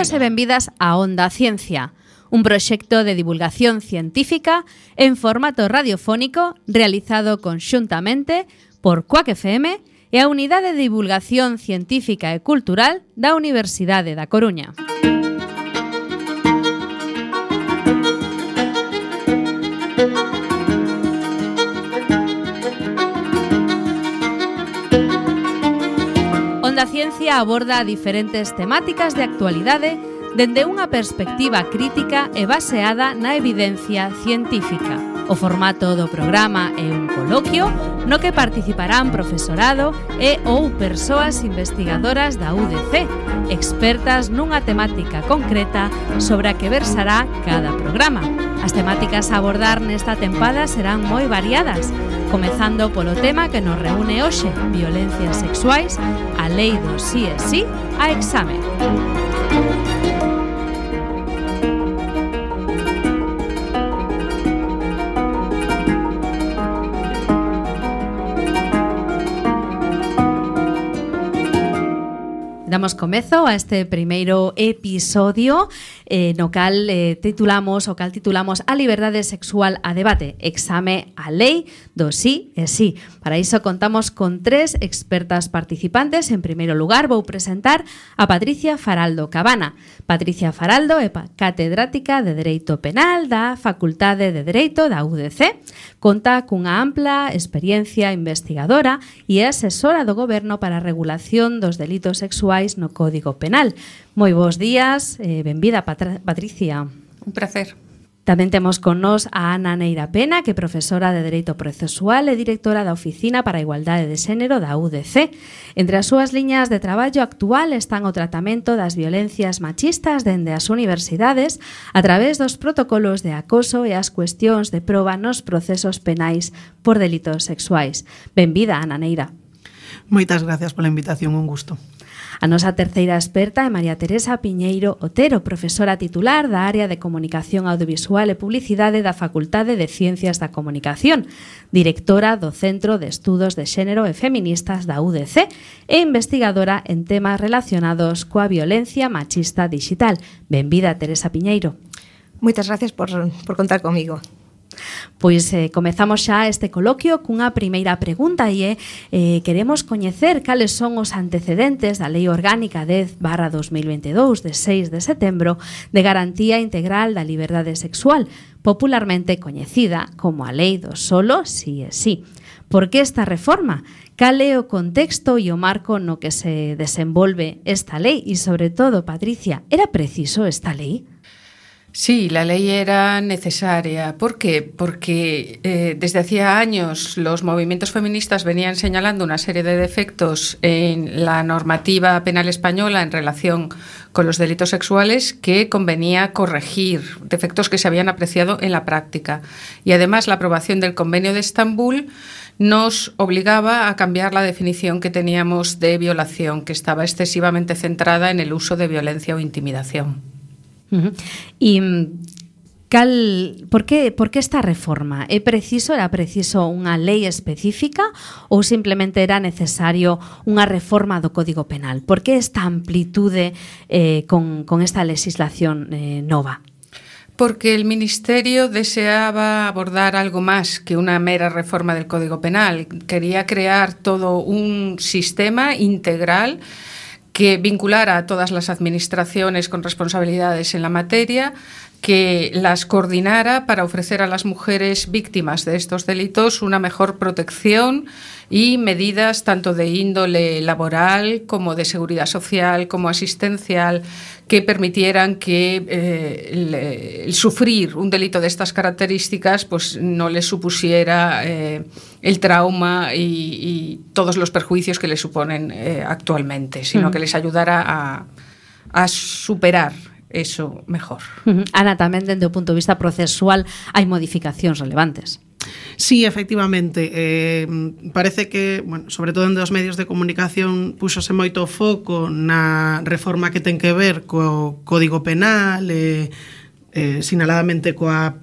Benvidos e benvidas a Onda Ciencia, un proxecto de divulgación científica en formato radiofónico realizado conxuntamente por Cuac FM e a Unidade de Divulgación Científica e Cultural da Universidade da Coruña. Onda Ciencia aborda diferentes temáticas de actualidade dende unha perspectiva crítica e baseada na evidencia científica. O formato do programa é un coloquio no que participarán profesorado e ou persoas investigadoras da UDC, expertas nunha temática concreta sobre a que versará cada programa. As temáticas a abordar nesta tempada serán moi variadas, comezando polo tema que nos reúne hoxe, violencias sexuais, a lei do sí é sí, a exame. Damos comezo a este primeiro episodio no cal titulamos a liberdade sexual a debate, exame a lei do sí e sí. Para iso contamos con 3 expertas participantes. En primeiro lugar vou presentar a Patricia Faraldo Cabana. Patricia Faraldo é catedrática de Dereito Penal da Facultade de Dereito da UDC. Conta cunha ampla experiencia investigadora e é asesora do Goberno para a regulación dos delitos sexuais no Código Penal. Moi bons días, benvida Patricia. Un placer. Tamén temos con nós a Ana Neira Pena, que é profesora de Dereito Procesual e directora da Oficina para a Igualdade de Xénero da UDC. Entre as súas liñas de traballo actual están o tratamento das violencias machistas dende as universidades a través dos protocolos de acoso e as cuestións de proba nos procesos penais por delitos sexuais. Benvida, Ana Neira. Moitas gracias pola invitación, un gusto. A nosa terceira experta é María Teresa Piñeiro Otero, profesora titular da área de Comunicación Audiovisual e Publicidade da Facultade de Ciencias da Comunicación, directora do Centro de Estudos de Xénero e Feministas da UDC e investigadora en temas relacionados coa violencia machista digital. Benvida, Teresa Piñeiro. Moitas gracias por contar comigo. Pois comezamos xa este coloquio cunha primeira pregunta e queremos coñecer cales son os antecedentes da Lei Orgánica 10/2022 de 6 de setembro de garantía integral da liberdade sexual, popularmente coñecida como a Lei do solo sí é sí. Por que esta reforma? Cal é o contexto e o marco no que se desenvolve esta lei? E, sobre todo, Patricia, era preciso esta lei? Sí, la ley era necesaria. ¿Por qué? Porque desde hacía años los movimientos feministas venían señalando una serie de defectos en la normativa penal española en relación con los delitos sexuales que convenía corregir, defectos que se habían apreciado en la práctica. Y además la aprobación del Convenio de Estambul nos obligaba a cambiar la definición que teníamos de violación, que estaba excesivamente centrada en el uso de violencia o intimidación. E por que esta reforma? Era preciso unha lei específica ou simplemente era necesario unha reforma do Código Penal? Por que esta amplitude con esta legislación nova? Porque el Ministerio deseaba abordar algo más que una mera reforma del Código Penal. Quería crear todo un sistema integral que vinculara a todas las administraciones con responsabilidades en la materia, que las coordinara para ofrecer a las mujeres víctimas de estos delitos una mejor protección y medidas tanto de índole laboral como de seguridad social como asistencial que permitieran que el sufrir un delito de estas características pues no les supusiera el trauma y todos los perjuicios que le suponen actualmente, sino que les ayudara a superar eso mejor. Ana, tamén dende o punto de vista procesual hai modificacións relevantes. Sí, efectivamente, parece que, bueno, sobre todo en dos medios de comunicación púxose moito foco na reforma que ten que ver co Código Penal, sinaladamente coa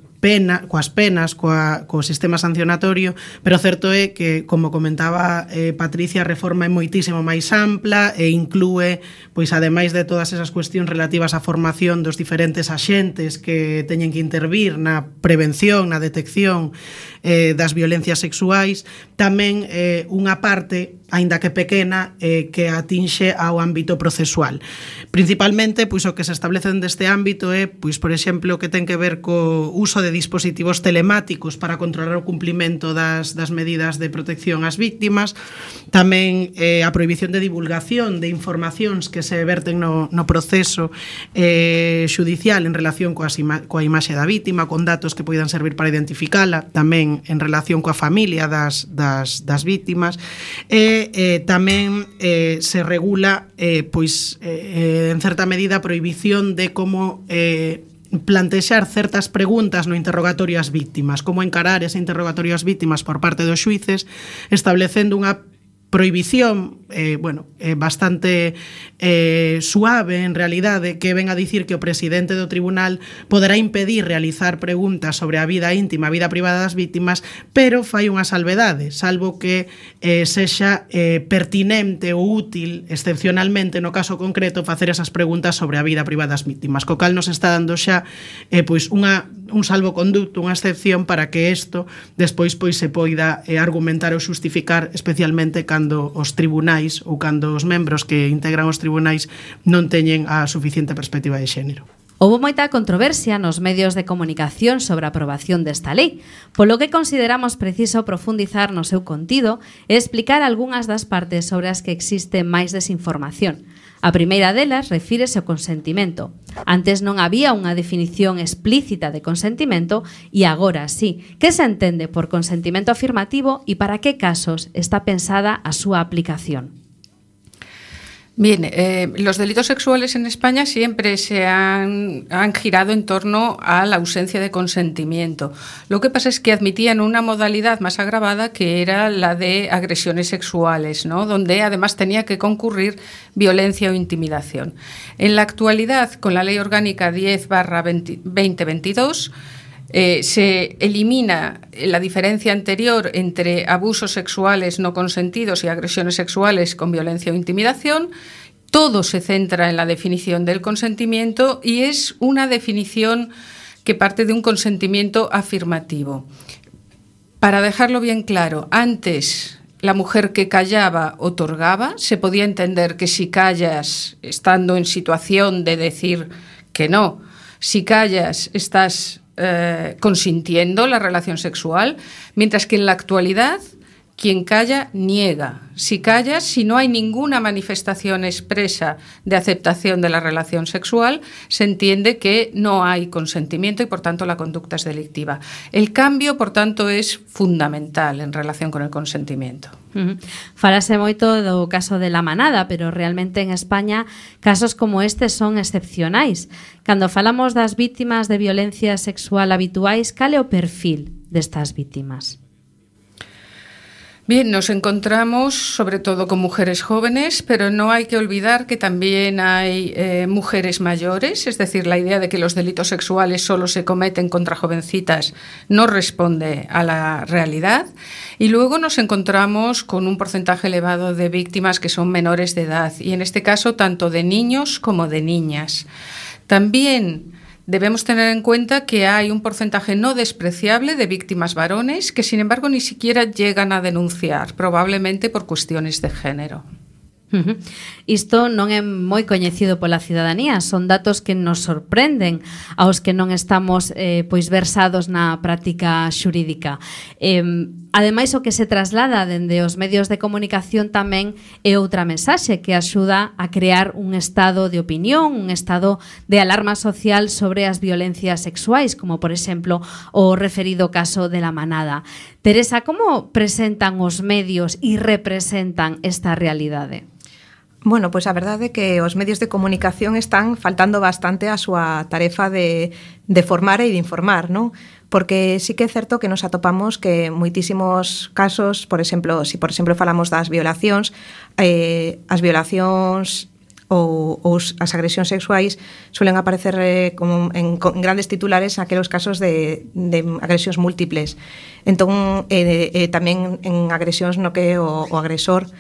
coas penas, co sistema sancionatorio, pero certo é que, como comentaba Patricia, a reforma é moitísimo máis ampla e inclúe, pois ademais de todas esas cuestións relativas á formación dos diferentes axentes que teñen que intervir na prevención, na detección das violencias sexuais, tamén unha parte, aínda que pequena, que atinxe ao ámbito procesual. Principalmente, pois o que se establece deste ámbito é, pois por exemplo, que ten que ver co uso de dispositivos telemáticos para controlar o cumplimento das medidas de protección ás víctimas, tamén a prohibición de divulgación de informacións que se verten no proceso xudicial en relación coa imaxe da vítima, con datos que poidan servir para identificala, tamén en relación coa familia das vítimas, e tamén se regula pois en certa medida a prohibición de como plantexar certas preguntas no interrogatorio ás víctimas, como encarar ese interrogatorio ás víctimas por parte dos xuíces, establecendo unha prohibición bastante suave en realidade, que ven a dicir que o presidente do tribunal poderá impedir realizar preguntas sobre a vida íntima, a vida privada das vítimas, pero fai unha salvedade, salvo que sexa pertinente ou útil excepcionalmente no caso concreto facer esas preguntas sobre a vida privada das vítimas, co cal nos está dando xa pois un salvoconducto, unha excepción para que isto despois pois se poida argumentar ou xustificar, especialmente cando os tribunais ou cando os membros que integran os tribunais non teñen a suficiente perspectiva de xénero. Houbo moita controversia nos medios de comunicación sobre a aprobación desta lei, polo que consideramos preciso profundizar no seu contido e explicar algunhas das partes sobre as que existe máis desinformación. A primeira delas refírese ao consentimento. Antes non había unha definición explícita de consentimento e agora sí. Que se entende por consentimento afirmativo e para que casos está pensada a súa aplicación? Bien, los delitos sexuales en España siempre se han girado en torno a la ausencia de consentimiento. Lo que pasa es que admitían una modalidad más agravada, que era la de agresiones sexuales, ¿no? Donde además tenía que concurrir violencia o intimidación. En la actualidad, con la Ley Orgánica 10/2022, se elimina la diferencia anterior entre abusos sexuales no consentidos y agresiones sexuales con violencia o intimidación. Todo se centra en la definición del consentimiento y es una definición que parte de un consentimiento afirmativo. Para dejarlo bien claro, antes la mujer que callaba otorgaba. Se podía entender que si callas estando en situación de decir que no, si callas estás consintiendo la relación sexual, mientras que en la actualidad quien calla niega. Si callas, si no hay ninguna manifestación expresa de aceptación de la relación sexual, se entiende que no hay consentimiento y por tanto la conducta es delictiva. El cambio, por tanto, es fundamental en relación con el consentimiento. Falase moito do caso de La Manada, pero realmente en España casos como este son excepcionais. Cando falamos das vítimas de violencia sexual habituais, cal é o perfil destas vítimas? Bien, nos encontramos sobre todo con mujeres jóvenes, pero no hay que olvidar que también hay mujeres mayores, es decir, la idea de que los delitos sexuales solo se cometen contra jovencitas no responde a la realidad. Y luego nos encontramos con un porcentaje elevado de víctimas que son menores de edad, y en este caso tanto de niños como de niñas. También debemos tener en cuenta que hay un porcentaje no despreciable de víctimas varones que, sin embargo, ni siquiera llegan a denunciar, probablemente por cuestiones de género. Isto non é moi coñecido pola cidadanía, son datos que nos sorprenden aos que non estamos pois versados na práctica xurídica. Ademais, o que se traslada dende os medios de comunicación tamén é outra mensaxe que axuda a crear un estado de opinión, un estado de alarma social sobre as violencias sexuais, como por exemplo o referido caso de La Manada. Teresa, como presentan os medios e representan esta realidade? Bueno, pois a verdade é que os medios de comunicación están faltando bastante a súa tarefa de formar e de informar, non? Porque sí que é certo que nos atopamos que moitísimos casos, por exemplo, se por exemplo falamos das violacións, as violacións as agresións sexuais suelen aparecer como en grandes titulares aqueles casos de agresións múltiples. Entón, tamén en agresións no que o agresor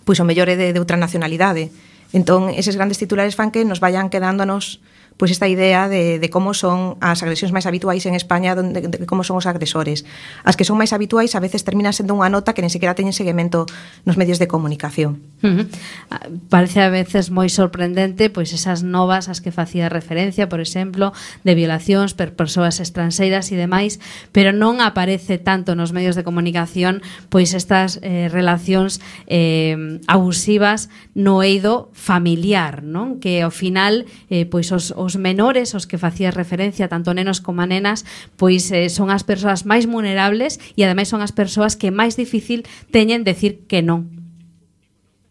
pois o mellor é de outra nacionalidade. Entón, eses grandes titulares fan que nos vayan quedándonos pois esta idea de como son as agresións máis habituais en España, de como son os agresores. As que son máis habituais a veces terminan sendo unha nota que nen sequera teñen seguimento nos medios de comunicación. Parece a veces moi sorprendente pois esas novas as que facía referencia, por exemplo, de violacións por persoas estranxeiras e demais, pero non aparece tanto nos medios de comunicación pois estas relacións abusivas no eido familiar, non? Que ao final pois os menores, os que facías referencia, tanto nenos como nenas, pois son as persoas máis vulnerables e ademais son as persoas que máis difícil teñen decir que non.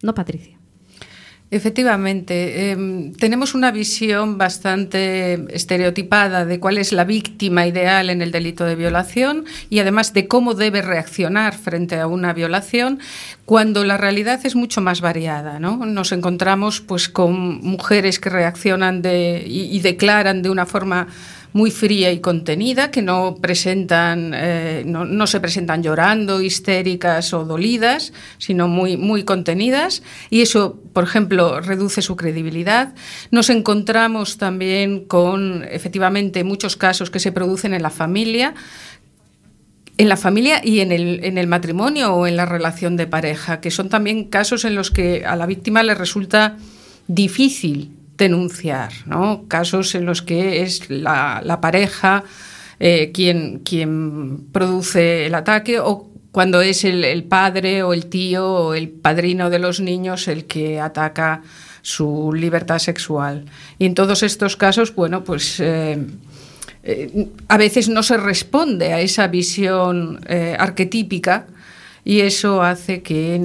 No, Patricia. Efectivamente, tenemos una visión bastante estereotipada de cuál es la víctima ideal en el delito de violación y además de cómo debe reaccionar frente a una violación, cuando la realidad es mucho más variada, ¿no? Nos encontramos pues con mujeres que reaccionan y declaran de una forma muy fría y contenida, que no presentan, no se presentan llorando, histéricas o dolidas, sino muy contenidas, y eso, por ejemplo, reduce su credibilidad. Nos encontramos también con, efectivamente, muchos casos que se producen en la familia y en el matrimonio o en la relación de pareja, que son también casos en los que a la víctima le resulta difícil denunciar, ¿no? Casos en los que es la pareja quien produce el ataque, o cuando es el padre o el tío o el padrino de los niños el que ataca su libertad sexual. Y en todos estos casos, bueno, pues a veces no se responde a esa visión arquetípica, y eso hace que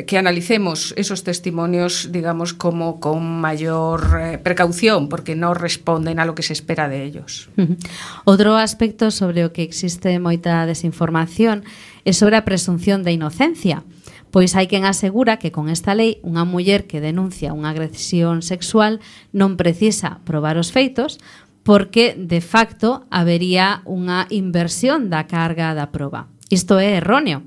que analicemos esos testimonios, digamos, como con mayor precaución, porque no responden a lo que se espera de ellos. Outro aspecto sobre o que existe moita desinformación é sobre a presunción de inocencia, pois hai quen asegura que con esta lei unha muller que denuncia unha agresión sexual non precisa probar os feitos, porque de facto habería unha inversión da carga da proba. Isto é erróneo.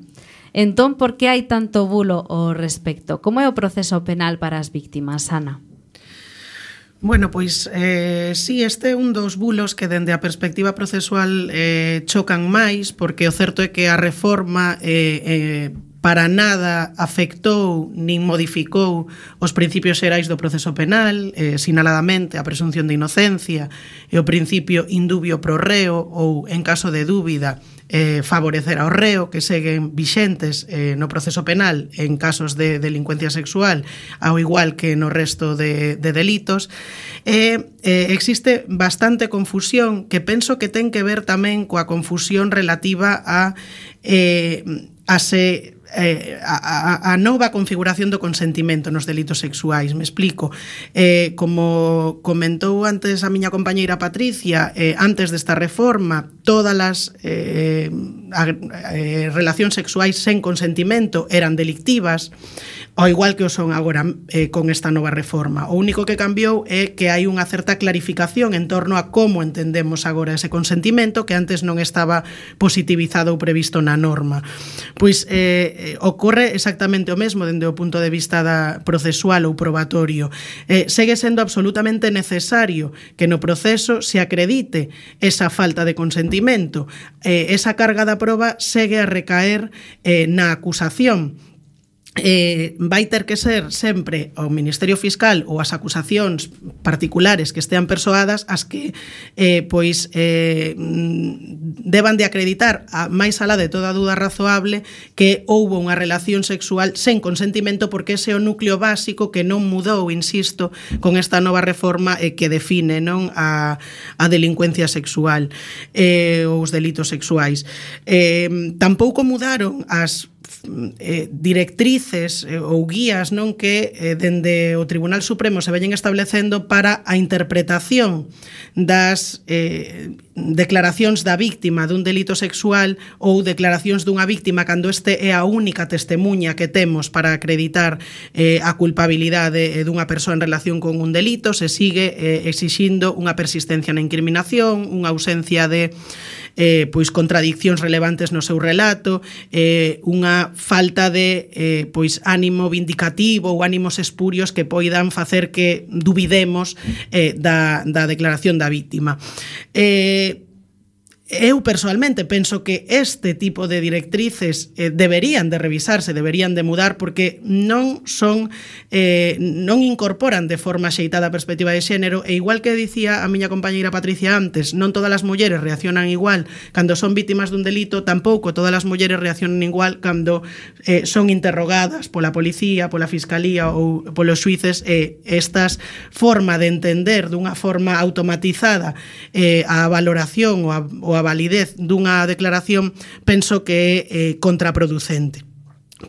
Entón, por que hai tanto bulo ao respecto? Como é o proceso penal para as víctimas, Ana? Bueno, pois sí, este é un dos bulos que dende a perspectiva procesual chocan máis, porque o certo é que a reforma para nada afectou nin modificou os principios xerais do proceso penal, sinaladamente a presunción de inocencia e o principio indubio pro reo, ou, en caso de dúbida, favorecer ao reo, que seguen vixentes no proceso penal en casos de delincuencia sexual, ao igual que no resto de delitos. Existe bastante confusión, que penso que ten que ver tamén coa confusión relativa a nova configuración do consentimento nos delitos sexuais. Me explico. Como comentou antes a miña compañeira Patricia, antes desta reforma, todas as relacións sexuais sen consentimento eran delictivas, ao igual que o son agora con esta nova reforma. O único que cambiou é que hai unha certa clarificación en torno a como entendemos agora ese consentimento, que antes non estaba positivizado ou previsto na norma. Pois ocorre exactamente o mesmo dende o punto de vista procesual ou probatorio. Segue sendo absolutamente necesario que no proceso se acredite esa falta de consentimento. Esa carga da proba segue a recaer na acusación. Vai ter que ser sempre o Ministerio Fiscal ou as acusacións particulares que estean persoadas as que deban de acreditar a máis alá de toda dúda razoable que houbo unha relación sexual sen consentimento, porque ese é o núcleo básico que non mudou, insisto, con esta nova reforma que define, non, a delincuencia sexual ou os delitos sexuais. Tampouco mudaron as directrices ou guías, non, que dende o Tribunal Supremo se veñen establecendo para a interpretación das declaracións da víctima dun delito sexual ou declaracións dunha víctima cando este é a única testemunha que temos para acreditar a culpabilidade dunha persoa en relación con un delito, se sigue exixindo unha persistencia na incriminación, unha ausencia de pois contradiccións relevantes no seu relato, unha falta de pois ánimo vindicativo ou ánimos espurios que poidan facer que dubidemos da declaración da víctima. Eu personalmente penso que este tipo de directrices deberían de revisarse, deberían de mudar, porque non incorporan de forma xeitada a perspectiva de xénero, e igual que dicía a miña compañeira Patricia antes, non todas as mulleres reaccionan igual cando son vítimas dun delito, tampouco todas as mulleres reaccionan igual cando son interrogadas pola policía, pola fiscalía ou polos xuíces. Estas forma de entender dunha forma automatizada a valoración ou a validez dunha declaración, penso que é contraproducente.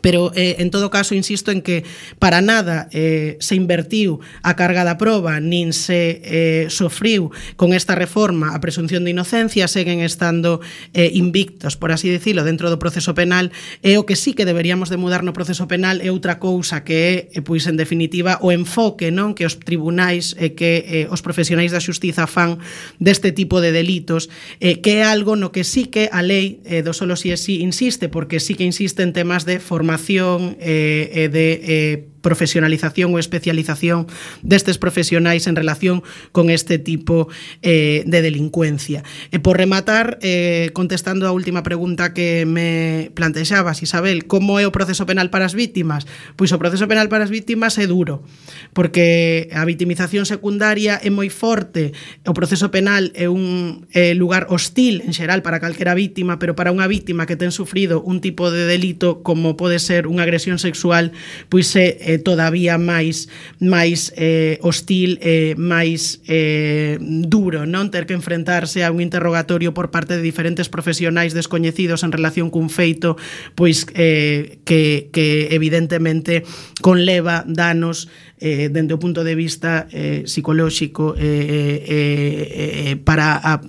Pero, en todo caso, insisto en que para nada se invertiu a carga da proba, nin se sofriu con esta reforma a presunción de inocencia, seguen estando invictos, por así decirlo, dentro do proceso penal, e o que sí que deberíamos de mudar no proceso penal é outra cousa, que é, pois, en definitiva, o enfoque, non, que os tribunais e que os profesionais da xustiza fan deste tipo de delitos, que é algo no que sí que a lei do solo si e si insiste, porque sí que insiste en temas de formación e de profesionalización ou especialización destes profesionais en relación con este tipo de delincuencia. E por rematar, contestando a última pregunta que me plantexabas, Isabel, como é o proceso penal para as vítimas? Pois o proceso penal para as vítimas é duro, porque a vitimización secundaria é moi forte. O proceso penal é un lugar hostil en xeral para calquera vítima, pero para unha vítima que ten sufrido un tipo de delito como pode ser unha agresión sexual, pois é todavía máis hostil, máis duro, non, ter que enfrentarse a un interrogatorio por parte de diferentes profesionais descoñecidos en relación cun feito, pois que evidentemente conleva danos dende o punto de vista psicolóxico para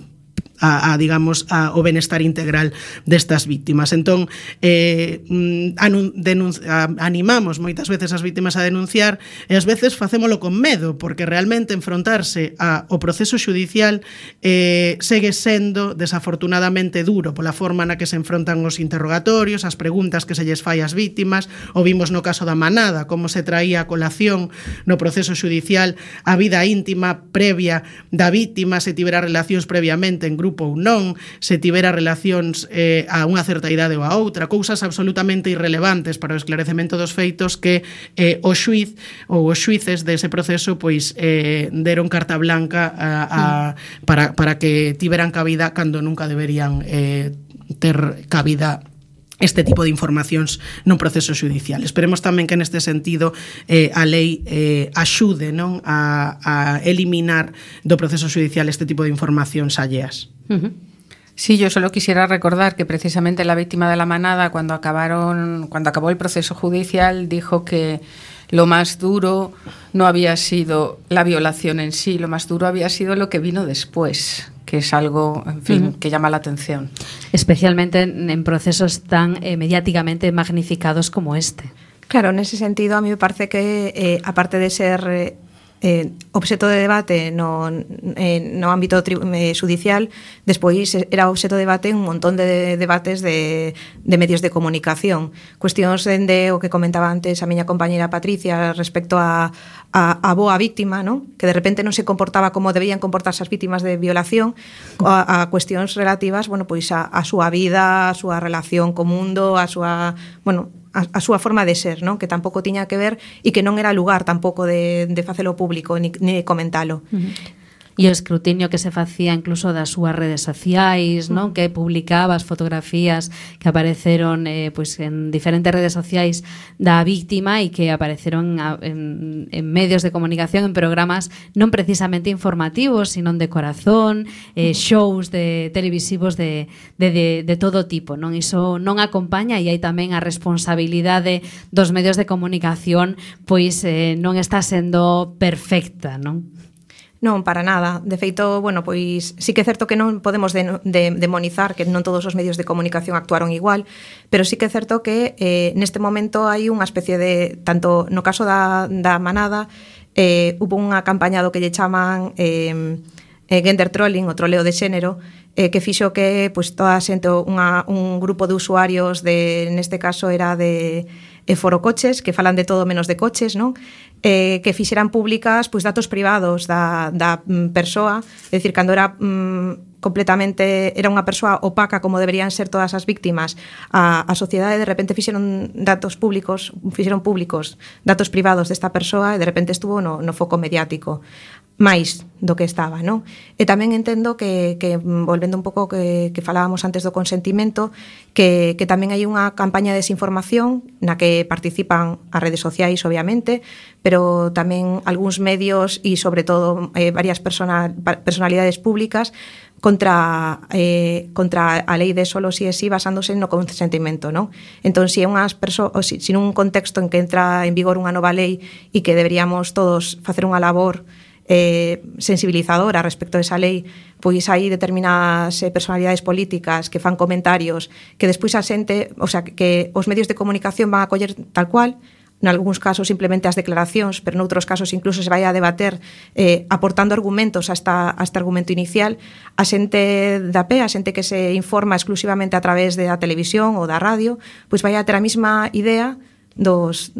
digamos, o benestar integral destas vítimas. Entón, animamos moitas veces as vítimas a denunciar, e ás veces facémolo con medo, porque realmente enfrontarse ao proceso xudicial segue sendo desafortunadamente duro pola forma na que se enfrontan os interrogatorios, as preguntas que se lles fai ás vítimas. O vimos no caso da Manada, como se traía a colación no proceso xudicial a vida íntima previa da vítima, se tivera relacións previamente en grupo ou non, se tivera relacións a unha certa idade ou a outra, cousas absolutamente irrelevantes para o esclarecemento dos feitos que o xuiz ou os xuíces dese proceso pois deron carta blanca para que tiveran cabida cando nunca deberían ter cabida este tipo de informacións nun proceso xudicial. Esperemos tamén que neste sentido a lei axude, non, a eliminar do proceso xudicial este tipo de informacións alleas. Sí, yo solo quisiera recordar que precisamente la víctima de la Manada, cuando acabó el proceso judicial, dijo que lo más duro no había sido la violación en sí, lo más duro había sido lo que vino después, que es algo, en fin, que llama la atención. Especialmente en procesos tan mediáticamente magnificados como este. Claro, en ese sentido a mí me parece que, aparte de ser obxeto de debate no ámbito judicial, despois era obxeto de debate un montón de debates de medios de comunicación. Cuestións dende o que comentaba antes a miña compañera Patricia respecto a boa víctima, non? Que de repente non se comportaba como debían comportarse as vítimas de violación, a cuestións relativas, bueno, pois a súa vida, a súa relación co mundo, a súa, bueno, a súa forma de ser, non? Que tampouco tiña que ver e que non era lugar tampouco de facelo público ni de comentalo. E o escrutinio que se facía incluso das súas redes sociais, non? Que publicaba as fotografías que apareceron pois en diferentes redes sociais da víctima e que apareceron en medios de comunicación, en programas non precisamente informativos, sino de corazón, shows de televisivos de todo tipo, non? Iso non acompaña, e hai tamén a responsabilidade dos medios de comunicación, pois non está sendo perfecta, non? Non, para nada. De feito, bueno, pois sí que é certo que non podemos demonizar que non todos os medios de comunicación actuaron igual, pero sí que é certo que neste momento hai unha especie de, tanto no caso da manada, hubo unha campaña do que lle chaman gender trolling, o troleo de xénero, que fixo que pois toda a xente, un grupo de usuarios neste caso era de forocoches, que falan de todo menos de coches, non? Que fixeran públicas pois datos privados da persoa, é dicir, cando era completamente, era unha persoa opaca como deberían ser todas as víctimas, a sociedade de repente fixeron públicos datos privados desta persoa e de repente estuvo no foco mediático máis do que estaba, non? E tamén entendo que volvendo un pouco que falábamos antes do consentimento, que tamén hai unha campaña de desinformación na que participan as redes sociais, obviamente, pero tamén algúns medios e, sobre todo, varias personalidades públicas contra a lei de solo si e si basándose no consentimento, non? Entón, se nun contexto en que entra en vigor unha nova lei e que deberíamos todos facer unha labor sensibilizadora respecto a esa lei, pois hai determinadas personalidades políticas que fan comentarios que despois a xente, o sea, que os medios de comunicación van a coller tal cual, nalgúns casos simplemente as declaracións, pero noutros casos incluso se vai a debater aportando argumentos a este argumento inicial. A xente da pé, a xente que se informa exclusivamente a través da televisión ou da radio, pois vai a ter a mesma idea dos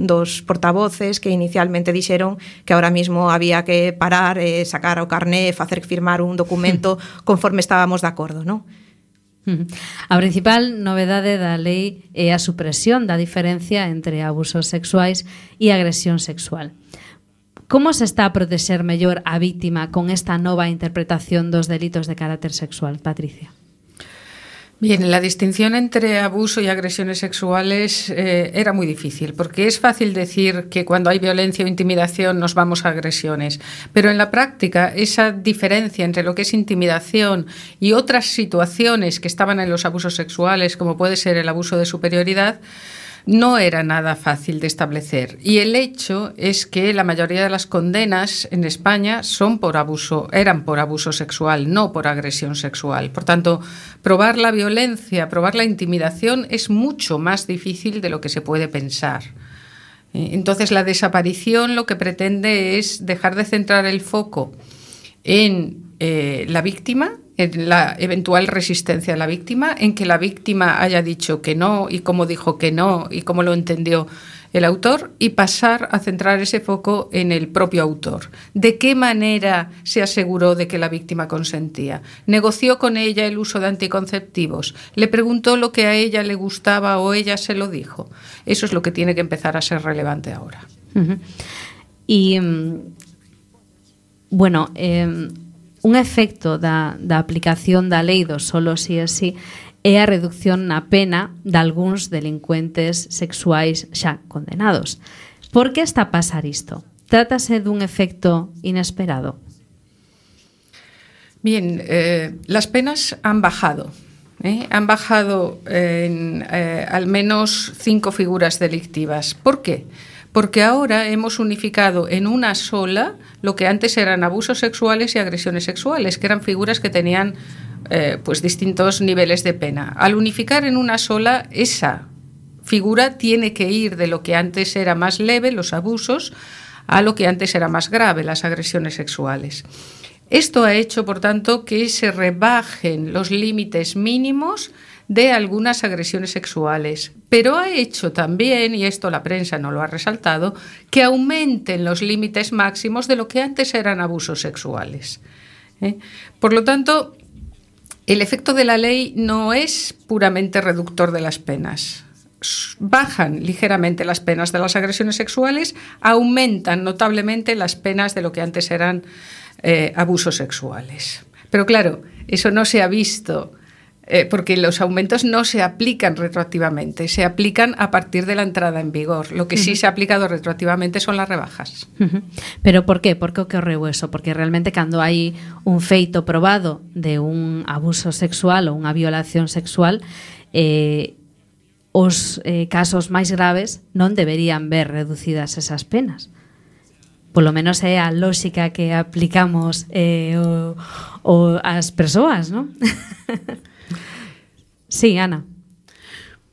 portavoces que inicialmente dixeron que ahora mismo había que parar, sacar o carné, facer firmar un documento conforme estábamos de acordo, non? A principal novedade da lei é a supresión da diferencia entre abusos sexuais e agresión sexual. Como se está a protexer mellor a vítima con esta nova interpretación dos delitos de carácter sexual, Patricia? Bien, la distinción entre abuso y agresiones sexuales era muy difícil, porque es fácil decir que cuando hay violencia o intimidación nos vamos a agresiones, pero en la práctica esa diferencia entre lo que es intimidación y otras situaciones que estaban en los abusos sexuales, como puede ser el abuso de superioridad, no era nada fácil de establecer. Y el hecho es que la mayoría de las condenas en España eran por abuso sexual, no por agresión sexual. Por tanto, probar la violencia, probar la intimidación es mucho más difícil de lo que se puede pensar. Entonces, la desaparición lo que pretende es dejar de centrar el foco en la víctima, en la eventual resistencia de la víctima, en que la víctima haya dicho que no y cómo dijo que no y cómo lo entendió el autor, y pasar a centrar ese foco en el propio autor. ¿De qué manera se aseguró de que la víctima consentía? ¿Negoció con ella el uso de anticonceptivos? ¿Le preguntó lo que a ella le gustaba o ella se lo dijo? Eso es lo que tiene que empezar a ser relevante ahora. Y, bueno, un efecto da aplicación da lei do solo si e si é a reducción na pena de algúns delincuentes sexuais xa condenados. Por que está a pasar isto? Trátase dun efecto inesperado? Bien, las penas han bajado. Han bajado en al menos 5 figuras delictivas. ¿Por qué? Porque ahora hemos unificado en una sola lo que antes eran abusos sexuales y agresiones sexuales, que eran figuras que tenían pues distintos niveles de pena. Al unificar en una sola, esa figura tiene que ir de lo que antes era más leve, los abusos, a lo que antes era más grave, las agresiones sexuales. Esto ha hecho, por tanto, que se rebajen los límites mínimos de algunas agresiones sexuales, pero ha hecho también, y esto la prensa no lo ha resaltado, que aumenten los límites máximos de lo que antes eran abusos sexuales. Por lo tanto, el efecto de la ley no es puramente reductor de las penas. Bajan ligeramente las penas de las agresiones sexuales, aumentan notablemente las penas de lo que antes eran abusos sexuales. Pero claro, eso no se ha visto porque los aumentos no se aplican retroactivamente, se aplican a partir de la entrada en vigor. Lo que sí se ha aplicado retroactivamente son las rebajas. Pero por qué? Por que ocorreu eso? Porque realmente cando hai un feito probado de un abuso sexual ou unha violación sexual, os casos máis graves non deberían ver reducidas esas penas. polo menos é a lógica que aplicamos as persoas, non? Sí, Ana.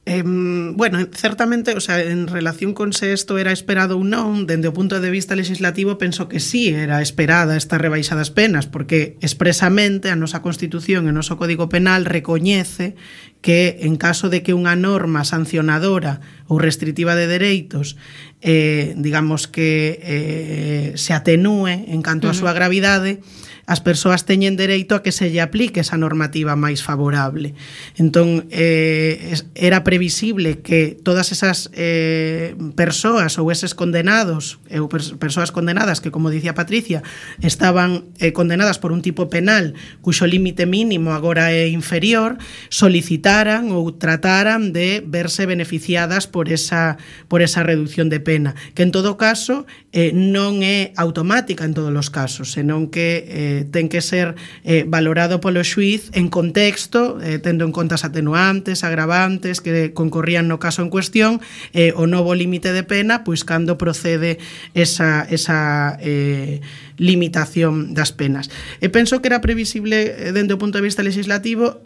Bueno, certamente, o sea, en relación con se isto era esperado ou non, dende o punto de vista legislativo penso que sí era esperada esta rebaixa das penas, porque expresamente a nosa Constitución e o noso Código Penal recoñece que en caso de que unha norma sancionadora ou restritiva de dereitos digamos que se atenúe en canto á súa gravidade, as persoas teñen dereito a que se lle aplique esa normativa máis favorable. Entón, era previsible que todas esas persoas ou eses condenados, ou persoas condenadas que, como dicía Patricia, estaban condenadas por un tipo penal cuxo límite mínimo agora é inferior, solicitaran ou trataran de verse beneficiadas por esa reducción de pena, que en todo caso non é automática en todos os casos, senón que ten que ser valorado polo xuíz en contexto, tendo en conta as atenuantes, agravantes que concorrían no caso en cuestión, o novo límite de pena, pois cando procede esa limitación das penas. E penso que era previsible dende o punto de vista legislativo,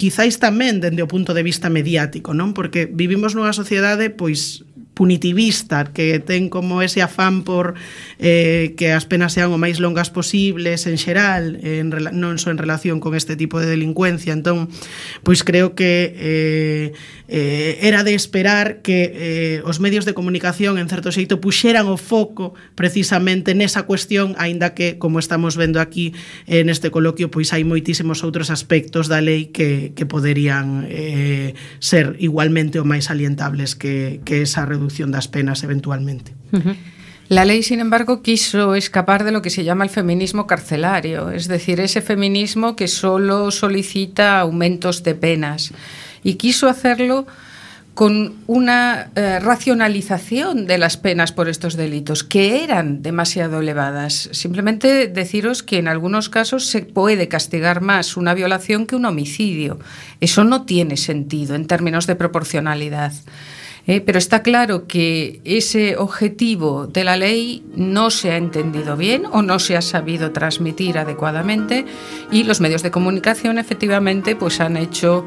quizáis tamén dende o punto de vista mediático, non? Porque vivimos nunha sociedade pois punitivista, que ten como ese afán por que as penas sean o máis longas posibles en xeral, non só en relación con este tipo de delincuencia. Entón, pois creo que era de esperar que os medios de comunicación en certo xeito puxeran o foco precisamente nesa cuestión, aínda que, como estamos vendo aquí neste coloquio, pois hai moitísimos outros aspectos da lei que poderían ser igualmente o máis salientables que esa reducción das penas eventualmente. La ley, sin embargo, quiso escapar de lo que se llama el feminismo carcelario, es decir, ese feminismo que solo solicita aumentos de penas, y quiso hacerlo con una racionalización de las penas por estos delitos, que eran demasiado elevadas. Simplemente deciros que en algunos casos se puede castigar más una violación que un homicidio. Eso no tiene sentido en términos de proporcionalidad. Pero está claro que ese objetivo de la ley no se ha entendido bien o no se ha sabido transmitir adecuadamente, y los medios de comunicación efectivamente pues han hecho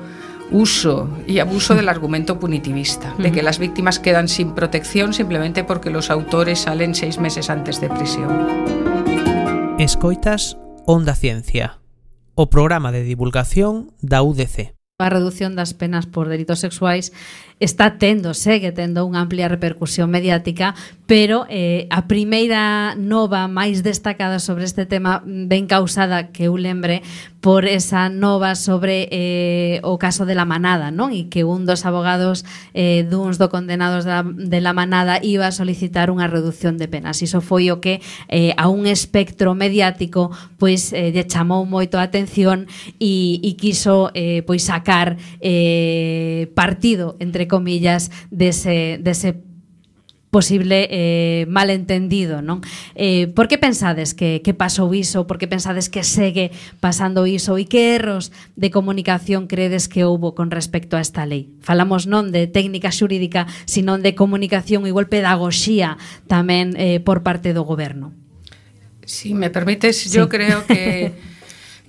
uso y abuso del argumento punitivista, de que las víctimas quedan sin protección simplemente porque los autores salen 6 meses antes de prisión. Escoitas Onda Ciencia, o programa de divulgación da UDC. A reducción das penas por delitos sexuais segue tendo unha amplia repercusión mediática, pero a primeira nova máis destacada sobre este tema ben causada, que eu lembre, por esa nova sobre o caso de La Manada, non? E que un dos abogados duns do condenados de La Manada iba a solicitar unha reducción de penas. Iso foi o que a un espectro mediático pois lle chamou moito a atención e quiso pois sacar partido, entre comillas, dese posible malentendido, non? Por que pensades que pasou iso? Por que pensades que segue pasando iso? E que erros de comunicación credes que houbo con respecto a esta lei? Falamos non de técnica xurídica, sino de comunicación e igual pedagogía tamén por parte do goberno. Si me permites, yo creo que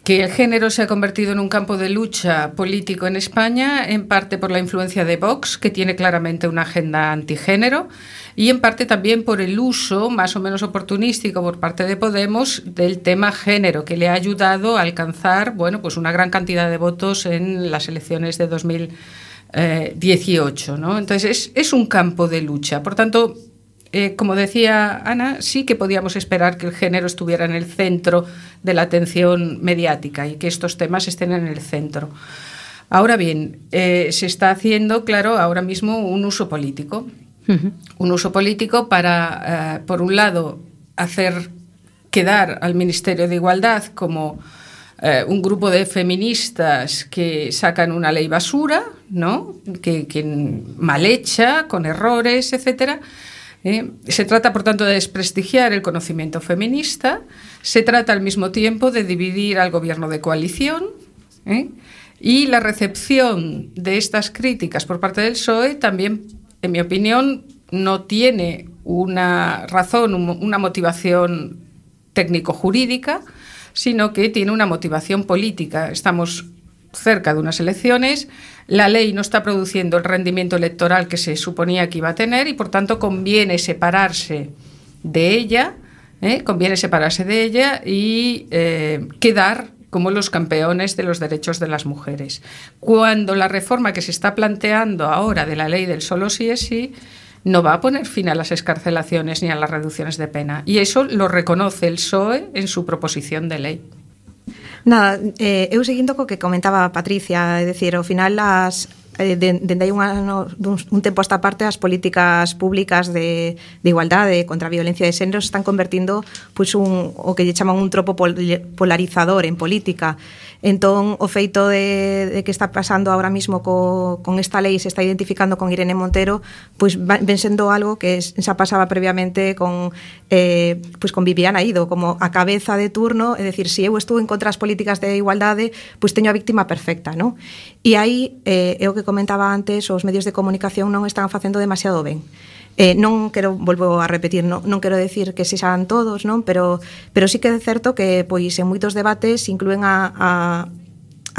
el género se ha convertido en un campo de lucha político en España, en parte por la influencia de Vox, que tiene claramente una agenda antigénero, y en parte también por el uso más o menos oportunístico por parte de Podemos del tema género, que le ha ayudado a alcanzar, bueno, pues una gran cantidad de votos en las elecciones de 2018, ¿no? Entonces es un campo de lucha. Por tanto, como decía Ana, sí que podíamos esperar que el género estuviera en el centro de la atención mediática y que estos temas estén en el centro. Ahora bien, se está haciendo, claro, ahora mismo un uso político. Un uso político para, por un lado, hacer quedar al Ministerio de Igualdad como un grupo de feministas que sacan una ley basura, ¿no? que mal hecha, con errores, etcétera. Se trata, por tanto, de desprestigiar el conocimiento feminista. Se trata, al mismo tiempo, de dividir al gobierno de coalición. Y la recepción de estas críticas por parte del PSOE también, en mi opinión, no tiene una razón, una motivación técnico-jurídica, sino que tiene una motivación política. Estamos cerca de unas elecciones, la ley no está produciendo el rendimiento electoral que se suponía que iba a tener y, por tanto, conviene separarse de ella y quedar como los campeones de los derechos de las mujeres. Cuando la reforma que se está planteando ahora de la ley del solo sí es sí no va a poner fin a las excarcelaciones ni a las reducciones de pena. Y eso lo reconoce el PSOE en su proposición de lei. Nada, eu seguindo co que comentaba Patricia, é dicir, ao final dende hai un tempo a esta parte as políticas públicas de igualdade contra a violencia de xénero se están convertindo pois o que lle chaman un tropo polarizador en política. Entón, o feito de que está pasando ahora mismo con esta lei, se está identificando con Irene Montero, pois ven sendo algo que xa pasaba previamente con Viviana Ido, como a cabeza de turno, é dicir, se eu estou en contra das políticas de igualdade, pois teño a víctima perfecta, non? E aí, é o que comentaba antes, os medios de comunicación non están facendo demasiado ben. Non quero, volvo a repetir, non quero decir que sexan todos, non, pero sí que é certo que pois en moitos debates inclúen a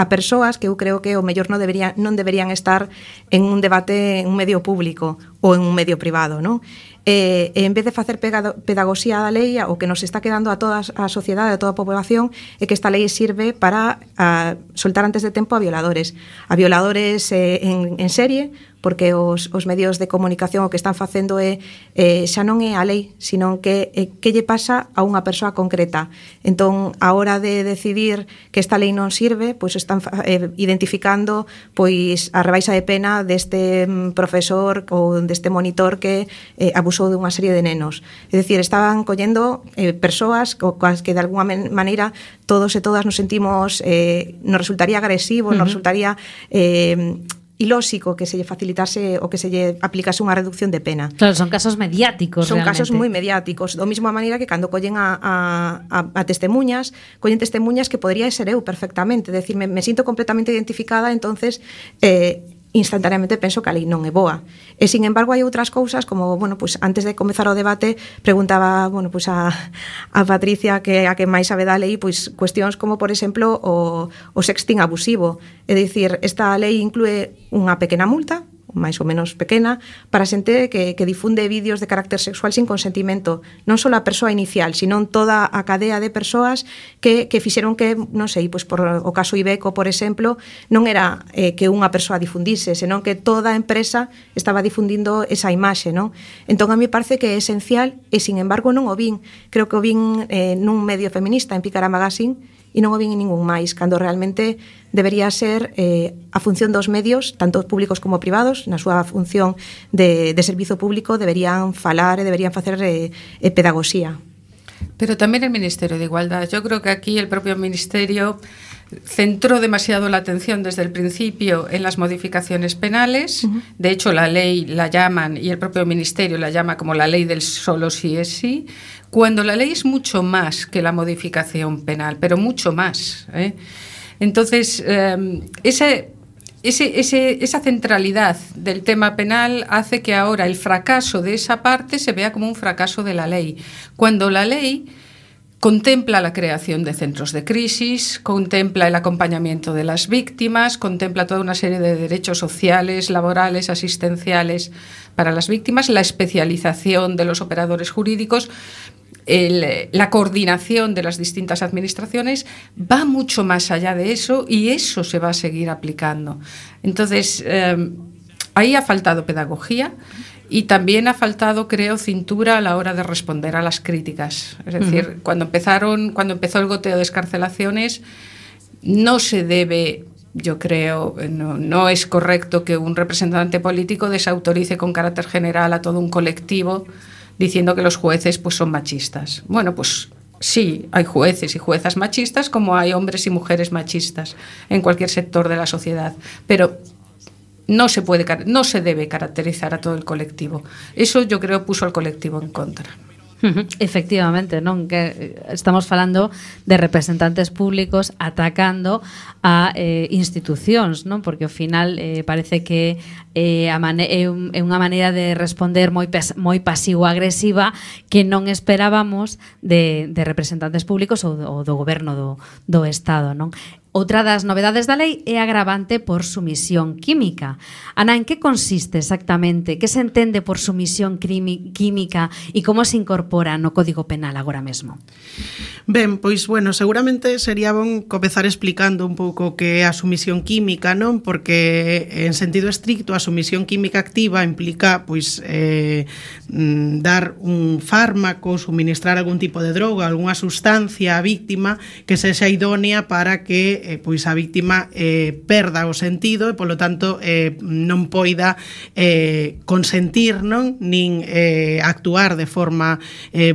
persoas que eu creo que o mellor non deberían estar en un debate en un medio público ou en un medio privado, non? En vez de facer pedagogía da lei, o que nos está quedando a toda a sociedade, a toda a población, é que esta lei sirve para soltar antes de tempo a violadores en serie, porque os medios de comunicación o que están facendo xa non é a lei, sino que lle pasa a unha persoa concreta. Entón, a hora de decidir que esta lei non sirve, pois están identificando pois a rebaixa de pena deste profesor ou deste monitor que abusou de unha serie de nenos. É dicir, estaban collendo persoas coas que de alguna maneira todos e todas nos sentimos, nos resultaría agresivo, nos resultaría ilóxico que se lle facilitase ou que se lle aplicase unha reducción de pena. Claro, son casos mediáticos. Son realmente. Casos moi mediáticos, do mesma maneira que cando collen a testemunhas, collen testemunhas que podría ser eu perfectamente, é dicir, me sinto completamente identificada, entonces instantaneamente penso que a lei non é boa. E, sin embargo, hai outras cousas como, bueno, pues antes de comezar o debate, preguntaba, bueno, pues a Patricia, que a que máis sabe da lei, pues cuestións como, por exemplo, o sexting abusivo. É dicir, esta lei inclúe unha pequena multa, máis ou menos pequena, para xente que difunde vídeos de carácter sexual sin consentimento, non só a persoa inicial, sino toda a cadea de persoas que fixeron que, non sei, pois por o caso Ibeco, por exemplo, non era que unha persoa difundise, senón que toda a empresa estaba difundindo esa imaxe, non? Entón, a mí parece que é esencial, e, sin embargo, non o vin. Creo que o vin nun medio feminista, en Pícara Magazine, e non o vin en ningún máis, cando realmente debería ser a función dos medios, tanto públicos como privados, na súa función de servizo público, deberían falar e deberían facer pedagogía. Pero también el Ministerio de Igualdad. Yo creo que aquí el propio Ministerio centró demasiado la atención desde el principio en las modificaciones penales. De hecho, la ley la llaman, y el propio Ministerio la llama como la ley del solo sí es sí, cuando la ley es mucho más que la modificación penal, pero mucho más, ¿eh? Entonces, esa centralidad del tema penal hace que ahora el fracaso de esa parte se vea como un fracaso de la ley, cuando la ley contempla la creación de centros de crisis, contempla el acompañamiento de las víctimas, contempla toda una serie de derechos sociales, laborales, asistenciales para las víctimas, la especialización de los operadores jurídicos, la coordinación de las distintas administraciones, va mucho más allá de eso, y eso se va a seguir aplicando. Entonces, ahí ha faltado pedagogía. Y también ha faltado, creo, cintura a la hora de responder a las críticas. Es decir, cuando empezó el goteo de excarcelaciones, no se debe, yo creo, no es correcto que un representante político desautorice con carácter general a todo un colectivo diciendo que los jueces pues son machistas. Bueno, pues sí, hay jueces y juezas machistas, como hay hombres y mujeres machistas en cualquier sector de la sociedad, pero no se debe caracterizar a todo el colectivo. Eso, yo creo, puso al colectivo en contra. Efectivamente, non, que estamos falando de representantes públicos atacando a institucións, non? Porque ao final parece que é unha maneira de responder moi pasivo-agresiva que non esperábamos de representantes públicos ou do goberno do Estado, non? Outra das novedades da lei é agravante por sumisión química. Ana, en que consiste exactamente? Que se entende por sumisión química e como se incorpora no Código Penal agora mesmo? Ben, pois, bueno, seguramente sería bon comezar explicando un pouco que é a sumisión química, non? Porque en sentido estricto a sumisión química activa implica, pois, dar un fármaco, suministrar algún tipo de droga, algunha sustancia á víctima que sexa idónea para que pois a víctima perda o sentido e polo tanto non poida consentir, non? Nin actuar de forma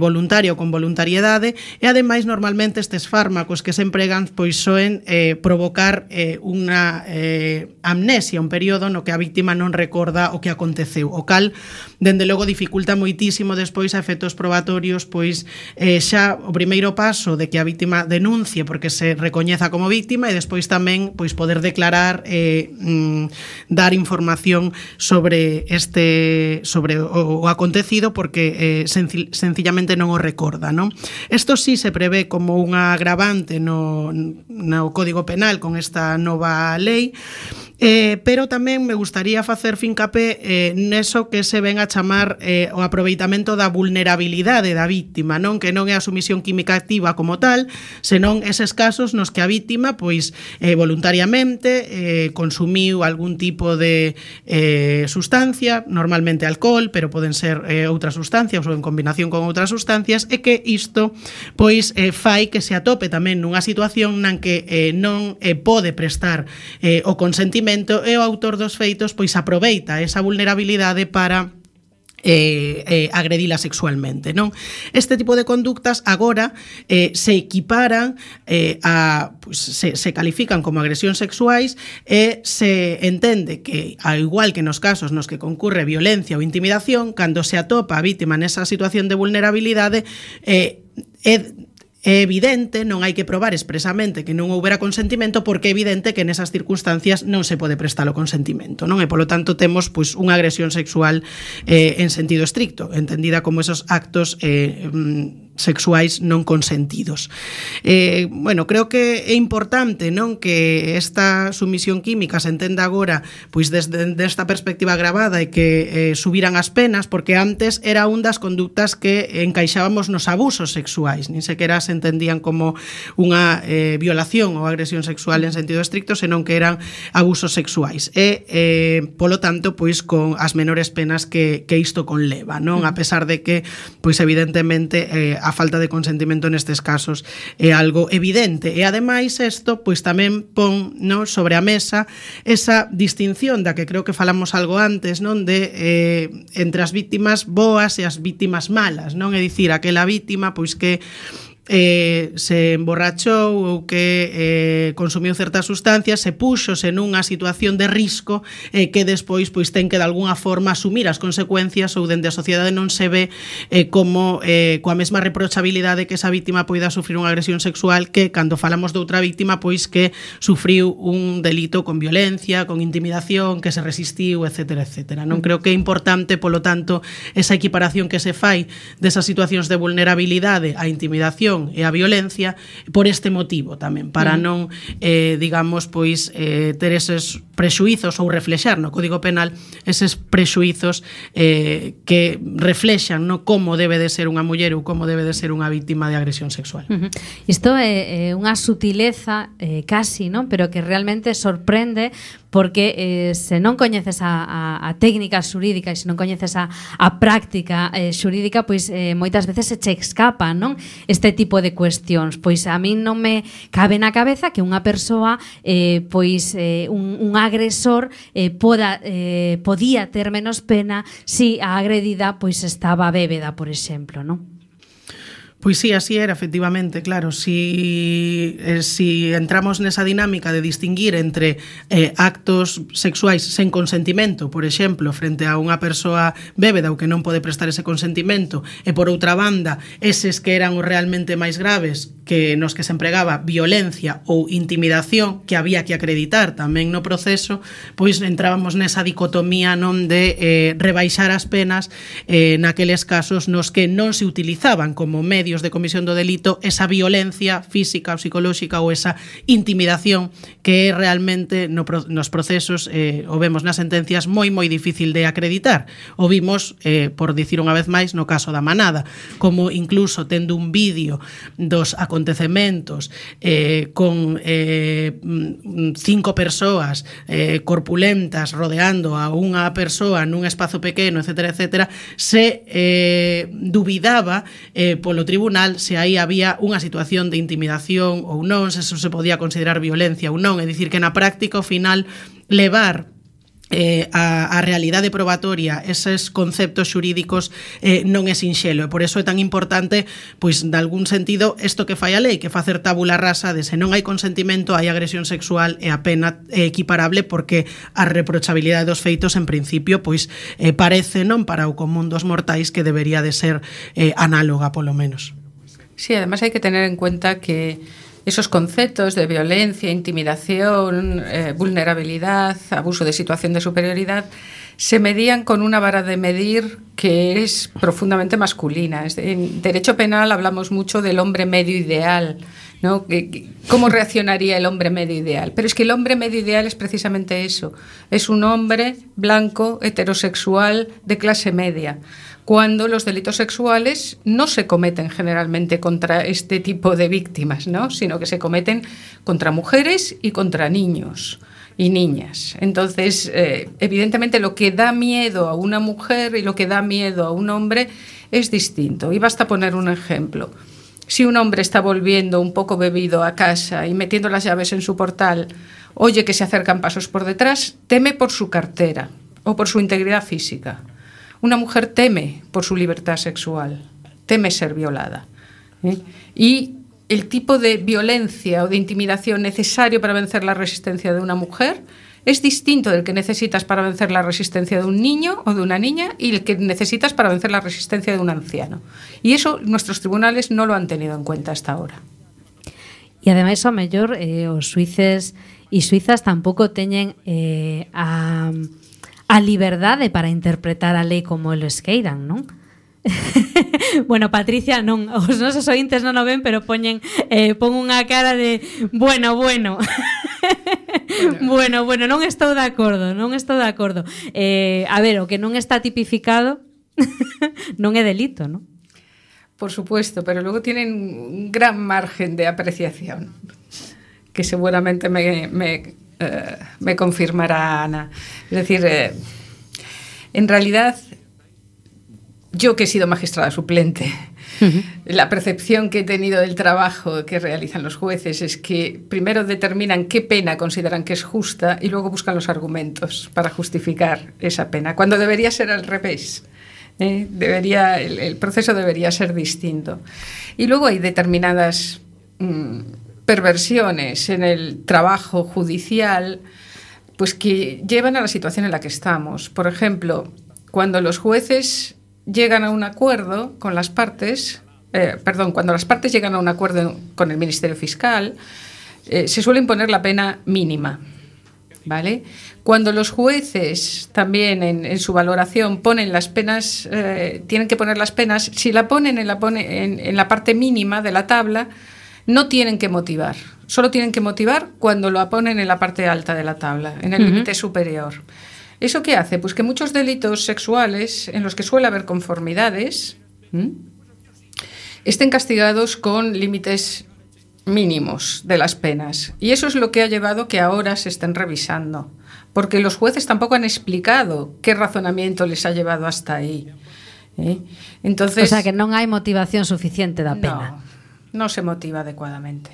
voluntaria ou con voluntariedade, e ademais normalmente estes fármacos que se empregan pois soen provocar unha amnesia, un período no que a víctima non recorda o que aconteceu, o cal dende logo dificulta moitísimo despois a efectos probatorios, pois xa o primeiro paso de que a víctima denuncie porque se recoñeza como víctima, e despois tamén pois poder declarar dar información sobre o acontecido porque sencillamente non o recorda, non? Isto sí se prevé como unha agravante no Código Penal con esta nova lei, pero tamén me gustaría facer fincapé neso que se ven a chamar o aproveitamento da vulnerabilidade da víctima, non? Que non é a sumisión química activa como tal, senón eses casos nos que a víctima pois voluntariamente consumiu algún tipo de sustancia, normalmente alcohol, pero poden ser outras sustancias ou en combinación con outras sustancias, e que isto pois fai que se atope tamén nunha situación nan que non pode prestar o consentimento, e o autor dos feitos pois aproveita esa vulnerabilidade para agredila sexualmente, non? Este tipo de conductas agora se equiparan pues, se califican como agresións sexuais e se entende que, ao igual que nos casos nos que concurre violencia ou intimidación, cando se atopa a vítima nesa situación de vulnerabilidade é evidente, non hai que probar expresamente que non houbera consentimento, porque é evidente que nesas circunstancias non se pode prestar o consentimento, non? E polo tanto temos pois unha agresión sexual en sentido estricto, entendida como esos actos sexuais non consentidos. Bueno, creo que é importante, non, que esta sumisión química se entenda agora pois desde esta perspectiva agravada e que subiran as penas, porque antes era un das conductas que encaixábamos nos abusos sexuais, nin sequera se entendían como unha violación ou agresión sexual en sentido estricto, senón que eran abusos sexuais, e polo tanto pois con as menores penas que isto conleva, non? A pesar de que pois evidentemente a falta de consentimento nestes casos é algo evidente, e ademais isto pois tamén pon, non, sobre a mesa esa distinción da que creo que falamos algo antes, non, de entre as vítimas boas e as vítimas malas, non? É dicir, aquela vítima pois que se emborrachou ou que consumiu certas sustancias, se púxose nunha situación de risco que despois pois ten que de alguna forma asumir as consecuencias, ou dende a sociedade non se ve como coa mesma reprochabilidade que esa vítima poida sufrir unha agresión sexual que cando falamos de outra vítima pois que sufriu un delito con violencia, con intimidación, que se resistiu, etcétera, etcétera. Non creo que é importante, polo tanto, esa equiparación que se fai desas situacións de vulnerabilidade á intimidación e a violencia por este motivo tamén, para non digamos, pois ter eses prexuizos ou reflexar no Código Penal eses prexuizos que reflexan, no, como debe de ser unha muller ou como debe de ser unha vítima de agresión sexual. Isto é unha sutileza casi, non? Pero que realmente sorprende, porque se non coñeces a técnica xurídica e se non coñeces a práctica xurídica, pois moitas veces se che escapa, non? Este tipo de cuestións. Pois a min non me cabe na cabeza que unha persoa, pois un agresor podía ter menos pena si a agredida pois estaba bébeda, por exemplo, non? Pois sí, así era, efectivamente, claro. Si entramos nesa dinámica de distinguir entre actos sexuais sen consentimento, por exemplo, frente a unha persoa bébeda ou que non pode prestar ese consentimento, e por outra banda, eses que eran os realmente máis graves, que nos que se empregaba violencia ou intimidación, que había que acreditar tamén no proceso, pois entrábamos nesa dicotomía non de rebaixar as penas naqueles casos nos que non se utilizaban como medio de comisión do delito esa violencia física ou psicolóxica ou esa intimidación que é realmente nos procesos, o vemos nas sentencias, moi difícil de acreditar. O vimos, por dicir unha vez máis, no caso da Manada, como incluso tendo un vídeo dos acontecementos con 5 persoas corpulentas rodeando a unha persoa nun espazo pequeno, etcétera, se dubidaba polo tribunal se aí había unha situación de intimidación ou non, se eso se podía considerar violencia ou non. É dicir, que na práctica, ao final, levar a realidade probatoria, eses conceptos xurídicos non é sinxelo, e por eso é tan importante, pois, de algún sentido, isto que fai a lei, que facer tabula rasa de se non hai consentimento, hai agresión sexual e a pena é equiparable, porque a reprochabilidade dos feitos, en principio, pois, parece, non para o común dos mortais, que debería de ser análoga, polo menos. Sí, además hay que tener en cuenta que esos conceptos de violencia, intimidación, vulnerabilidad, abuso de situación de superioridad, se medían con una vara de medir que es profundamente masculina. En derecho penal hablamos mucho del hombre medio ideal, ¿no? ¿Cómo reaccionaría el hombre medio ideal? Pero es que el hombre medio ideal es precisamente eso. Es un hombre blanco, heterosexual, de clase media, cuando los delitos sexuales no se cometen generalmente contra este tipo de víctimas, ¿no? Sino que se cometen contra mujeres y contra niños y niñas. Entonces, evidentemente, lo que da miedo a una mujer y lo que da miedo a un hombre es distinto. Y basta poner un ejemplo. Si un hombre está volviendo un poco bebido a casa y metiendo las llaves en su portal, oye que se acercan pasos por detrás, teme por su cartera o por su integridad física. Una mujer teme por su libertad sexual, teme ser violada. Y el tipo de violencia o de intimidación necesario para vencer la resistencia de una mujer es distinto del que necesitas para vencer la resistencia de un niño o de una niña y el que necesitas para vencer la resistencia de un anciano. Y eso nuestros tribunales no lo han tenido en cuenta hasta ahora. E ademais, ao mellor, os suíces e suizas tampouco teñen a liberdade para interpretar a lei como eles queiran, non? Bueno, Patricia, non, os nosos ointes non o ven, pero pon unha cara de bueno. Bueno, non estou de acordo. A ver, o que non está tipificado non é delito, non? Por supuesto, pero luego tienen un gran margen de apreciación, que seguramente me confirmará Ana. Es decir, en realidad, yo que he sido magistrada suplente, la percepción que he tenido del trabajo que realizan los jueces es que primero determinan qué pena consideran que es justa y luego buscan los argumentos para justificar esa pena, cuando debería ser al revés. El proceso debería ser distinto. Y luego hay determinadas perversiones en el trabajo judicial, pues que llevan a la situación en la que estamos. Por ejemplo, cuando los jueces llegan a un acuerdo con las partes, cuando las partes llegan a un acuerdo con el Ministerio Fiscal, se suele imponer la pena mínima, ¿vale? Cuando los jueces también en su valoración ponen las penas, tienen que poner las penas, si la ponen en la parte mínima de la tabla, no tienen que motivar, solo tienen que motivar cuando lo ponen en la parte alta de la tabla, en el límite superior. ¿Eso qué hace? Pues que muchos delitos sexuales en los que suele haber conformidades estén castigados con límites mínimos de las penas. Y eso es lo que ha llevado que ahora se estén revisando, porque los jueces tampoco han explicado qué razonamiento les ha llevado hasta ahí. Entonces, o sea, que non hai motivación suficiente da pena. No se motiva adecuadamente.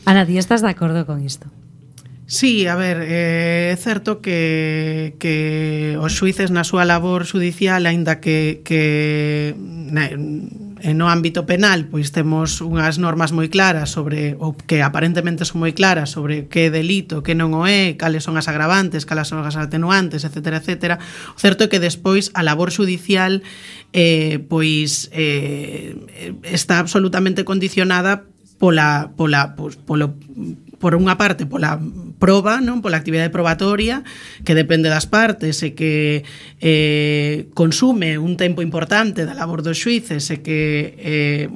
Ana, ti estás de acordo con isto? Sí, a ver, é certo que os xuíces na súa labor judicial, aínda que no ámbito penal pois temos unhas normas moi claras sobre, ou que aparentemente son moi claras sobre que é delito, que non o é, cales son as agravantes, cales son as atenuantes, etcétera, etcétera. O certo é que despois a labor judicial está absolutamente condicionada por unha parte pola proba, non, pola actividade probatoria que depende das partes e que consume un tempo importante da labor dos xuíces e que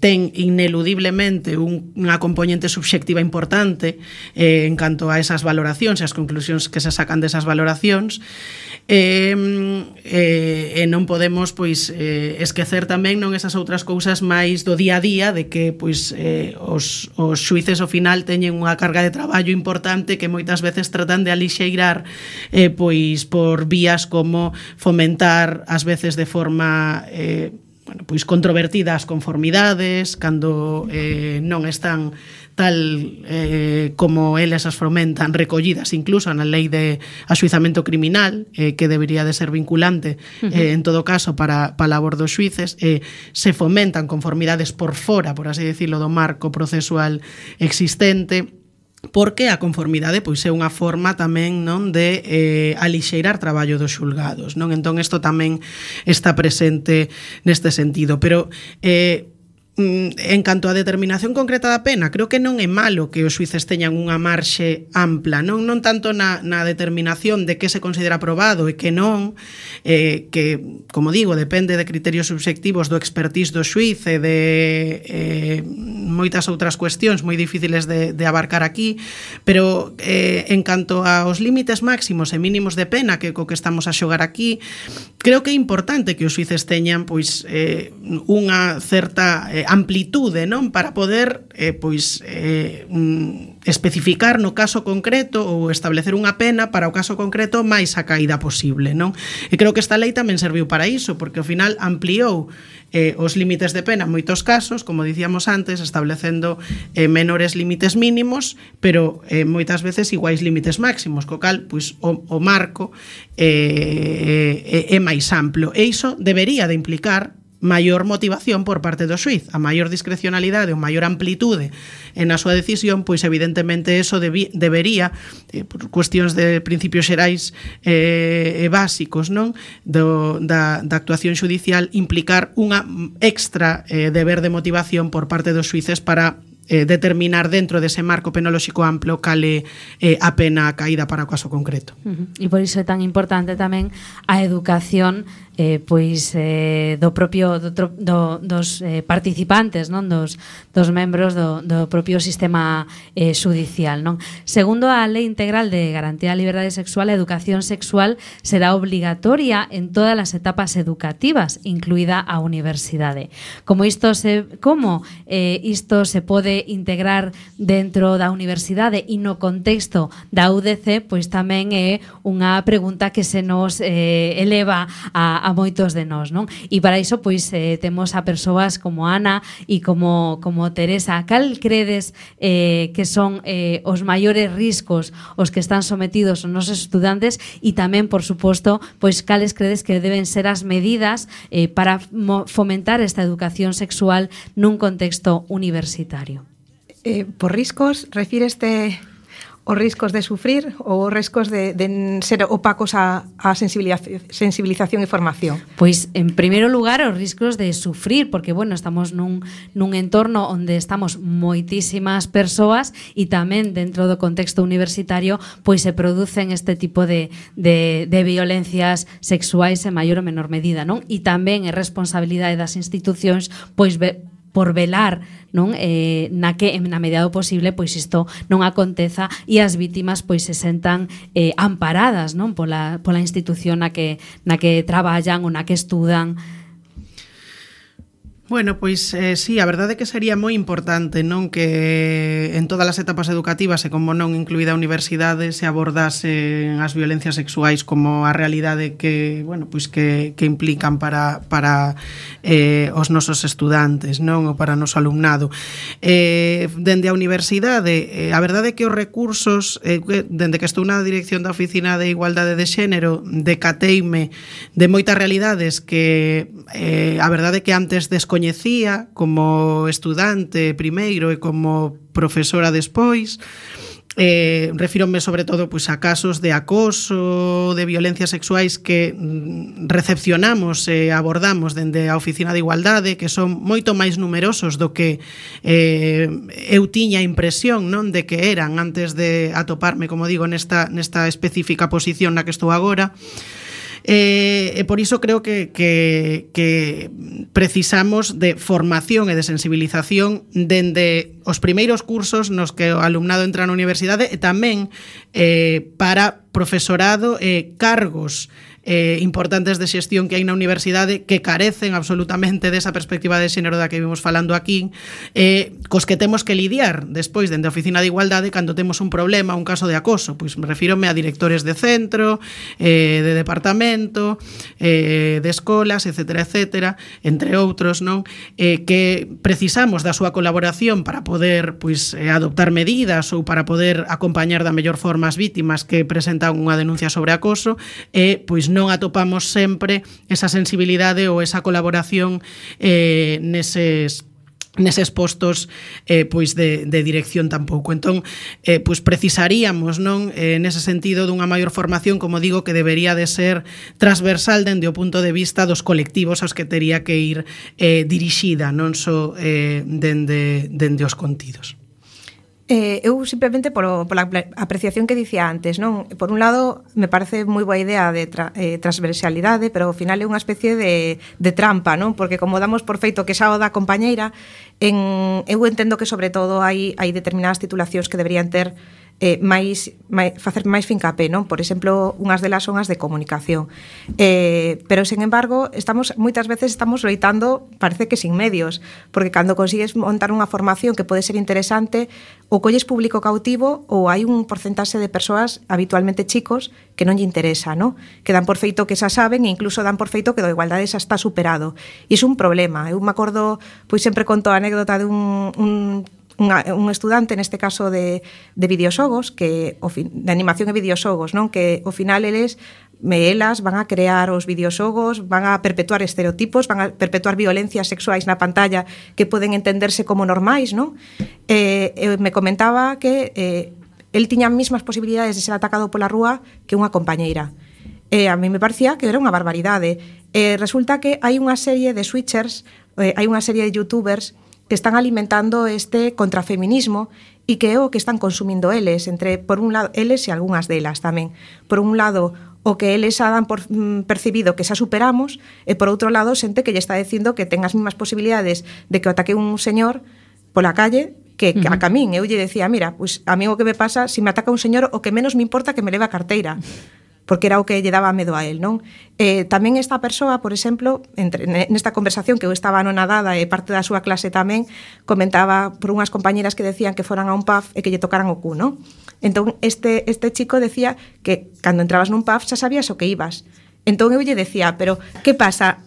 ten ineludiblemente unha componente subxectiva importante en canto a esas valoracións e as conclusións que se sacan desas valoracións. Non podemos esquecer tamén non esas outras cousas máis do día a día de que os xuíces ao final teñen unha carga de traballo importante que moitas veces tratan de alixeirar por vías como fomentar ás veces de forma controvertida as conformidades cando non están tal como eles as fomentan, recollidas incluso na lei de axuizamento criminal, que debería de ser vinculante en todo caso para a labor dos xuíces, se fomentan conformidades por fora, por así decirlo, do marco procesual existente, porque a conformidade é unha forma tamén non de alixeirar traballo dos xulgados, non? Entón isto tamén está presente neste sentido, pero en canto á determinación concreta da pena, creo que non é malo que os xuíces teñan unha marxe ampla, non tanto na determinación de que se considera probado e que non, que, como digo, depende de criterios subxectivos do expertise do xuíz e de moitas outras cuestións moi difíciles de abarcar aquí, pero en canto aos límites máximos e mínimos de pena que co que estamos a xogar aquí, creo que é importante que os xuíces teñan unha certa amplitude, non, para poder especificar no caso concreto ou establecer unha pena para o caso concreto máis a caída posible, non? E creo que esta lei tamén serviu para iso, porque ao final ampliou os límites de pena en moitos casos, como dicíamos antes, establecendo menores límites mínimos, pero moitas veces iguais límites máximos, co cal o marco é máis amplo. E iso debería de implicar maior motivación por parte do xuíz, a maior discrecionalidade ou maior amplitude na súa decisión, pois evidentemente eso debería, por cuestións de principios xerais e básicos, non, da actuación xudicial, implicar unha extra deber de motivación por parte dos xuíces para determinar dentro dese marco penolóxico amplo cale a pena caída para o caso concreto. E por iso é tan importante tamén a educación do propio dos participantes, non, dos membros do propio sistema xudicial, non? Segundo a Lei Integral de Garantía da Liberdade Sexual, a educación sexual será obrigatoria en todas as etapas educativas, incluída a universidade. Como isto se pode integrar dentro da universidade e no contexto da UDC, pois tamén é unha pregunta que se nos eleva a moitos de nós, non? E para iso pois temos a persoas como Ana e como Teresa. Cal credes que son os maiores riscos os que están sometidos os nosos estudantes e tamén, por suposto, pois cales credes que deben ser as medidas para fomentar esta educación sexual nun contexto universitario? Por riscos, refíreste os riscos de sufrir ou os riscos de ser opacos a sensibilización e formación? Pois, en primeiro lugar, os riscos de sufrir, porque, estamos nun entorno onde estamos moitísimas persoas e tamén dentro do contexto universitario pois se producen este tipo de violencias sexuais en maior ou menor medida, non? E tamén é responsabilidade das institucións pois por velar, non, na medida do posible pois isto non aconteza e as vítimas pois se sentan amparadas, non, pola institución na que traballan ou na que estudan. Bueno, pois sí, a verdade é que sería moi importante, non, que en todas as etapas educativas e como non incluída a universidade se abordasen as violencias sexuais como a realidade que, bueno, pois que implican para os nosos estudantes, non, ou para o noso alumnado. Dende a universidade, a verdade é que os recursos, dende que estou na dirección da Oficina de Igualdade de Xénero, decateime de moitas realidades que a verdade é que antes descoñecía como estudante primeiro e como profesora despois. Refírome sobre todo pois, a casos de acoso, de violencias sexuais que recepcionamos e abordamos dende a Oficina de Igualdade, que son moito máis numerosos do que eu tiña a impresión, non, de que eran antes de atoparme, como digo, nesta específica posición na que estou agora. E por iso creo que precisamos de formación e de sensibilización dende os primeiros cursos nos que o alumnado entra na universidade e tamén para profesorado e cargos importantes de xestión que hai na universidade que carecen absolutamente desa perspectiva de xénero da que vimos falando aquí, cos que temos que lidiar despois dende a Oficina de Igualdade cando temos un problema, un caso de acoso. Pois me refírome a directores de centro, de departamento, de escolas, etcétera, etcétera, entre outros, non, que precisamos da súa colaboración para poder pois adoptar medidas ou para poder acompañar da mellor forma as vítimas que presentan unha denuncia sobre acoso e pois non atopamos sempre esa sensibilidade ou esa colaboración neses postos pois de dirección tampouco. Entón, pois precisaríamos, non, nese sentido dunha maior formación, como digo, que debería de ser transversal dende o punto de vista dos colectivos aos que tería que ir dirixida, non só dende os contidos. Eu simplemente pola apreciación que dicía antes, non? Por un lado, me parece moi boa idea de transversalidade, pero ao final é unha especie de trampa, non? Porque como damos por feito que xa o da compañeira, eu entendo que sobre todo hai determinadas titulacións que deberían ter facer máis fincapé, non? Por exemplo, unhas delas son as de comunicación. Pero, sen embargo, moitas veces estamos loitando, parece que sin medios, porque cando consigues montar unha formación que pode ser interesante, ou colles público cautivo ou hai un porcentaxe de persoas, habitualmente chicos, que non lle interesa, non? Que dan por feito que xa saben e incluso dan por feito que da igualdade xa está superado. E iso é un problema. Eu me acordo, pois sempre conto a anécdota de un estudante, neste caso de videoxogos, de animación e videoxogos, non? Que ao final elas van a crear os videoxogos, van a perpetuar estereotipos, van a perpetuar violencias sexuais na pantalla que poden entenderse como normais, non? Me comentaba que el tiña as mesmas posibilidades de ser atacado pola rúa que unha compañeira. A mí me parecía que era unha barbaridade. Resulta que hai unha serie de switchers, hai unha serie de youtubers que están alimentando este contrafeminismo e que é o que están consumindo eles, por un lado, eles e algunhas delas tamén. Por un lado, o que eles xa dan por percibido que xa superamos, e por outro lado, xente que lle está dicindo que ten as mesmas posibilidades de que o ataque un señor pola calle que a min. Eu lle decía, mira, pois a mí o que me pasa, se me ataca un señor, o que menos me importa que me leve a carteira, porque era o que lle daba medo a él, non? Tamén esta persoa, por exemplo, nesta conversación que eu estaba anonadada e parte da súa clase tamén, comentaba por unhas compañeras que decían que foran a un pub e que lle tocaran o cu, non? Entón, este chico decía que cando entrabas nun pub xa sabías o que ibas. Entón eu lle decía, pero que pasa?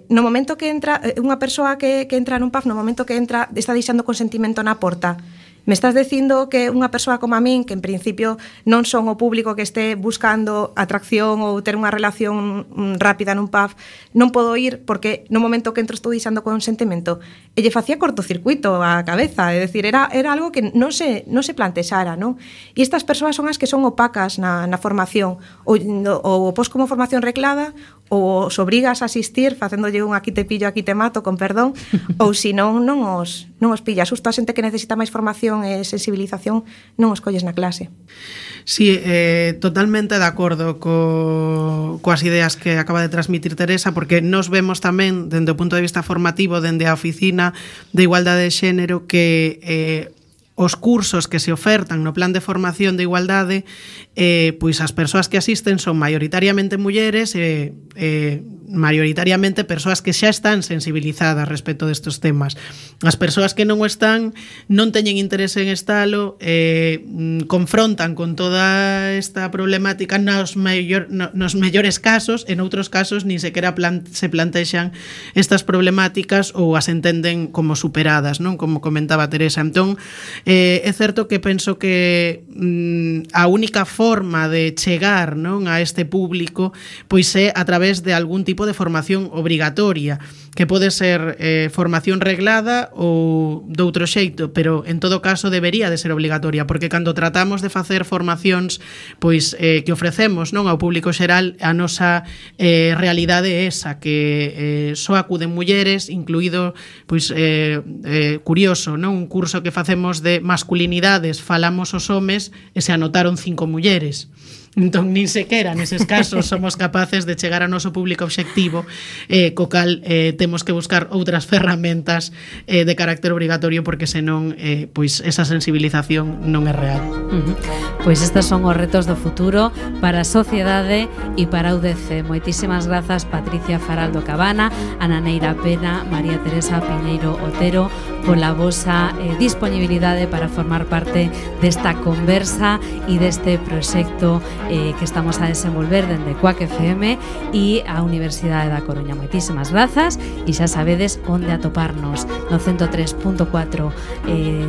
No momento que entra unha persoa que entra nun pub, no momento que entra, está deixando consentimento na porta. Me estás dicindo que unha persoa como a min, que en principio non son o público que este buscando atracción ou ter unha relación rápida nun pub, non podo ir porque no momento que entro estou deixando consentimento. E lle facía cortocircuito a cabeza, é dicir, era algo que non se plantexara, non? E estas persoas son as que son opacas na formación, ou pos como formación reclada, ou os obrigas a asistir facéndolle un aquí te pillo, aquí te mato, con perdón, ou se non os pillas. Justo a xente que necesita máis formación e sensibilización non os colles na clase. Sí, totalmente de acordo coas ideas que acaba de transmitir Teresa, porque nos vemos tamén, dende o punto de vista formativo, dende a Oficina de Igualdade de Xénero, que os cursos que se ofertan no plan de formación de igualdade pois as persoas que asisten son maioritariamente mulleres e maioritariamente persoas que xa están sensibilizadas respecto destes temas. As persoas que non o están non teñen interese en estalo, confrontan con toda esta problemática nos mellores casos, en outros casos nin sequera se plantexan estas problemáticas ou as entenden como superadas, non? Como comentaba Teresa. Entón, é certo que penso que a única forma de chegar, non, a este público pois é a través de algún tipo de formación obrigatoria, que pode ser formación reglada ou doutro xeito, pero en todo caso debería de ser obrigatoria, porque cando tratamos de facer formacións pois que ofrecemos, non, ao público xeral, a nosa realidade é esa, que só acuden mulleres, incluído pois curioso, non, un curso que facemos de masculinidades, falamos os homes e se anotaron 5 mulleres. Entón, nin sequera neses casos somos capaces de chegar ao noso público obxectivo, co cal temos que buscar outras ferramentas de carácter obrigatorio, porque senón pois esa sensibilización non é real. Pois estes son os retos do futuro para a sociedade e para a UDC. Moitísimas grazas, Patricia Faraldo Cabana, Ana Neira Pena, María Teresa Piñeiro Otero, pola vosa disponibilidade para formar parte desta conversa e deste proxecto que estamos a desenvolver dende Quack FM e a Universidade da Coruña. Moitísimas grazas e xa sabedes onde atoparnos no 103.4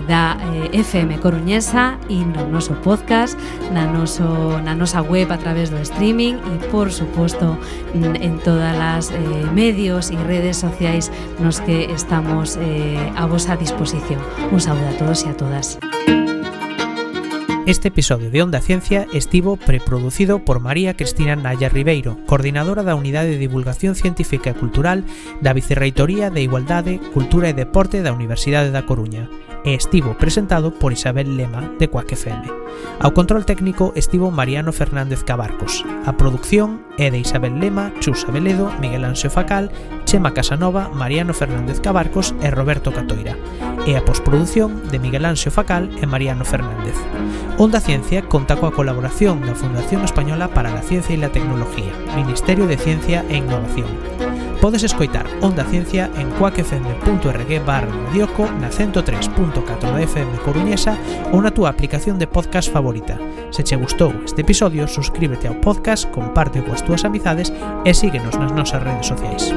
da FM coruñesa e no noso podcast, na nosa web a través do streaming e, por suposto, en todas as medios e redes sociais nos que estamos a vosa disposición. Un saúdo a todos e a todas. Este episodio de Onda Ciencia estivo preproducido por María Cristina Naya Ribeiro, coordinadora da Unidade de Divulgación Científica e Cultural da Vicerreitoría de Igualdade, Cultura e Deporte da Universidade da Coruña, e estivo presentado por Isabel Lema, de Quack FM. Ao control técnico estivo Mariano Fernández Cabarcos. A produción é de Isabel Lema, Chus Abeledo, Miguel Anxo Facal, Chema Casanova, Mariano Fernández Cabarcos e Roberto Catoira. E a posproducción de Miguel Anxo Facal e Mariano Fernández. Onda Ciencia conta coa colaboración da Fundación Española para la Ciencia e la Tecnología, Ministerio de Ciencia e Innovación. Podes escoitar Onda Ciencia en quackfm.org/radioco, na 103.4 da FM coruñesa ou na túa aplicación de podcast favorita. Se che gustou este episodio, suscríbete ao podcast, comparte coas túas amizades e síguenos nas nosas redes sociais.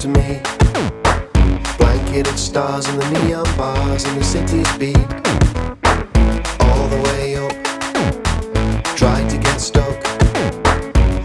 to me. Blanketed stars and the neon bars and the city's beat.